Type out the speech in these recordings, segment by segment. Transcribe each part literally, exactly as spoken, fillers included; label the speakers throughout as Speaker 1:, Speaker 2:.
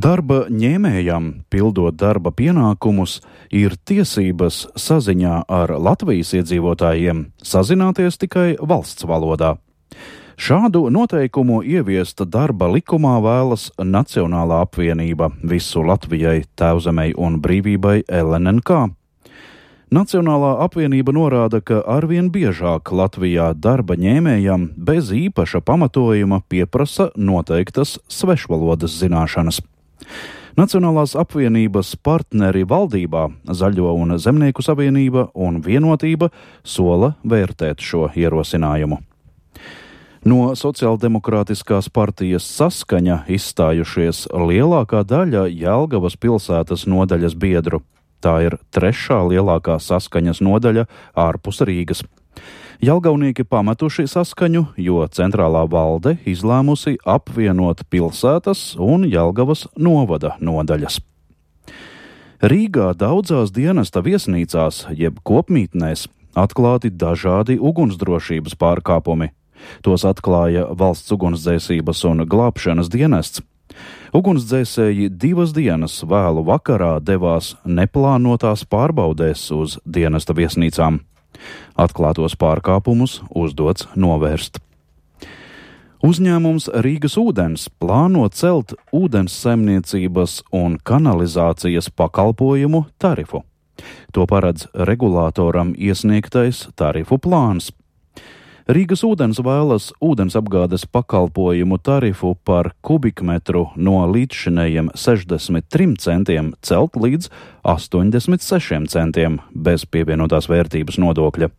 Speaker 1: Darba ņēmējam, pildot darba pienākumus, ir tiesības saziņā ar Latvijas iedzīvotājiem sazināties tikai valsts valodā. Šādu noteikumu ieviest darba likumā vēlas Nacionālā apvienība Visu Latvijai, Tēvzemei un brīvībai L N N K. Nacionālā apvienība norāda, ka arvien biežāk Latvijā darba ņēmējam bez īpaša pamatojuma pieprasa noteiktas svešvalodas zināšanas. Nacionālās apvienības partneri valdībā, Zaļo un Zemnieku savienība un Vienotība sola vērtēt šo ierosinājumu. No Sociāldemokrātiskās partijas Saskaņa izstājušies lielākā daļa Jelgavas pilsētas nodaļas biedru. Tā ir trešā lielākā Saskaņas nodaļa ārpus Rīgas. Jelgavnieki pametuši Saskaņu, jo centrālā valde izlēmusi apvienot pilsētas un Jelgavas novada nodaļas. Rīgā daudzās dienesta viesnīcās, jeb kopmītnēs, atklāti dažādi ugunsdrošības pārkāpumi. Tos atklāja Valsts ugunsdzēsības un glābšanas dienests. Ugunsdzēsēji divas dienas vēlu vakarā devās neplānotās pārbaudēs uz dienesta viesnīcām. Atklātos pārkāpumus uzdots novērst. Uzņēmums Rīgas ūdens plāno celt ūdens saimniecības un kanalizācijas pakalpojumu tarifu. To paredz regulātoram iesniegtais tarifu plāns. Rīgas ūdens vēlas ūdens apgādes pakalpojumu tarifu par kubikmetru no līdzšinējiem sešdesmit trim centiem celt līdz astoņdesmit sešiem centiem bez pievienotās vērtības nodokļa.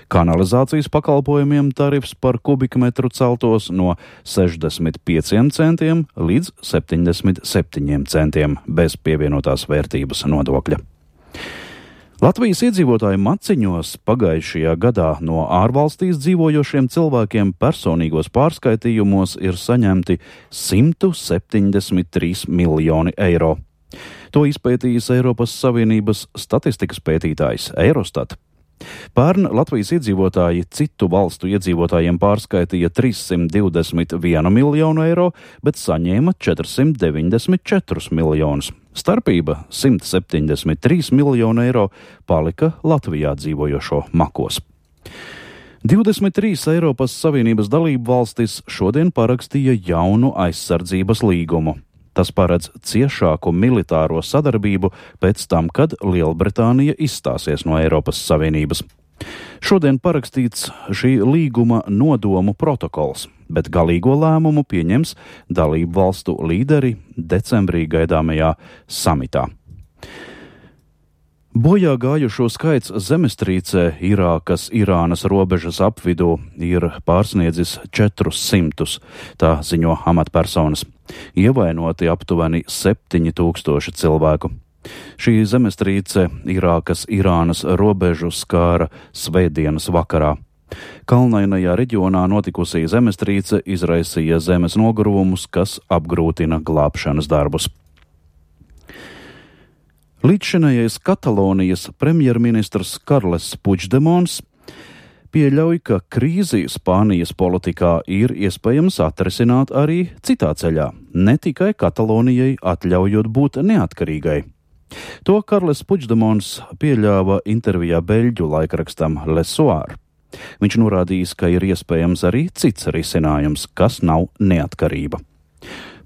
Speaker 1: Kanalizācijas pakalpojumiem tarifs par kubikmetru celtos no sešdesmit pieciem centiem līdz septiņdesmit septiņiem centiem bez pievienotās vērtības nodokļa. Latvijas iedzīvotāju maciņos pagājušajā gadā no ārvalstīs dzīvojošiem cilvēkiem personīgos pārskaitījumos ir saņemti simt septiņdesmit trīs miljoni eiro. To izpētījis Eiropas Savienības statistikas pētītājs Eurostat. Pērn Latvijas iedzīvotāji citu valstu iedzīvotājiem pārskaitīja trīssimt divdesmit vienu miljonu eiro, bet saņēma četrsimt deviņdesmit četrus miljonus. Starpība simt septiņdesmit trīs miljonu eiro palika Latvijā dzīvojošo makos. divdesmit trīs Eiropas Savienības dalību valstis šodien parakstīja jaunu aizsardzības līgumu. Tas paredz ciešāku militāro sadarbību pēc tam, kad Lielbritānija izstāsies no Eiropas Savienības. Šodien parakstīts šī līguma nodomu protokols, bet galīgo lēmumu pieņems dalību valstu līderi decembrī gaidāmajā samitā. Bojā gājušo skaits zemestrīcē Irākas Irānas robežas apvidū ir pārsniedzis četrus simtus, tā ziņo amatpersonas. Ievainoti aptuveni septiņi tūkstoši cilvēku. Šī zemestrīce Irākas Irānas robežu skāra svētdienas vakarā. Kalnainajā reģionā notikusī zemestrīce izraisīja zemes nogruvumus, kas apgrūtina glābšanas darbus. Līdzšinējais Katalonijas premjerministrs Karles Puigdemons pieļauj, ka krīzi Spānijas politikā ir iespējams atrisināt arī citā ceļā, ne tikai Katalonijai atļaujot būt neatkarīgai. To Karles Puigdemons pieļāva intervijā beļģu laikrakstam Le Soir. Viņš norādījis, ka ir iespējams arī cits risinājums, kas nav neatkarība.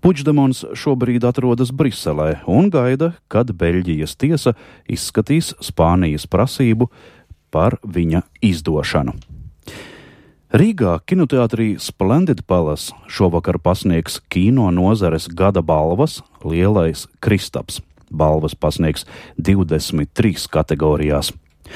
Speaker 1: Puigdemons šobrīd atrodas Briselē un gaida, kad Beļģijas tiesa izskatīs Spānijas prasību par viņa izdošanu. Rīgā kinoteātrī Splendid Palace šovakar pasniegs kino nozares gada balvas Lielais Kristaps. Balvas pasniegs divdesmit trīs kategorijās.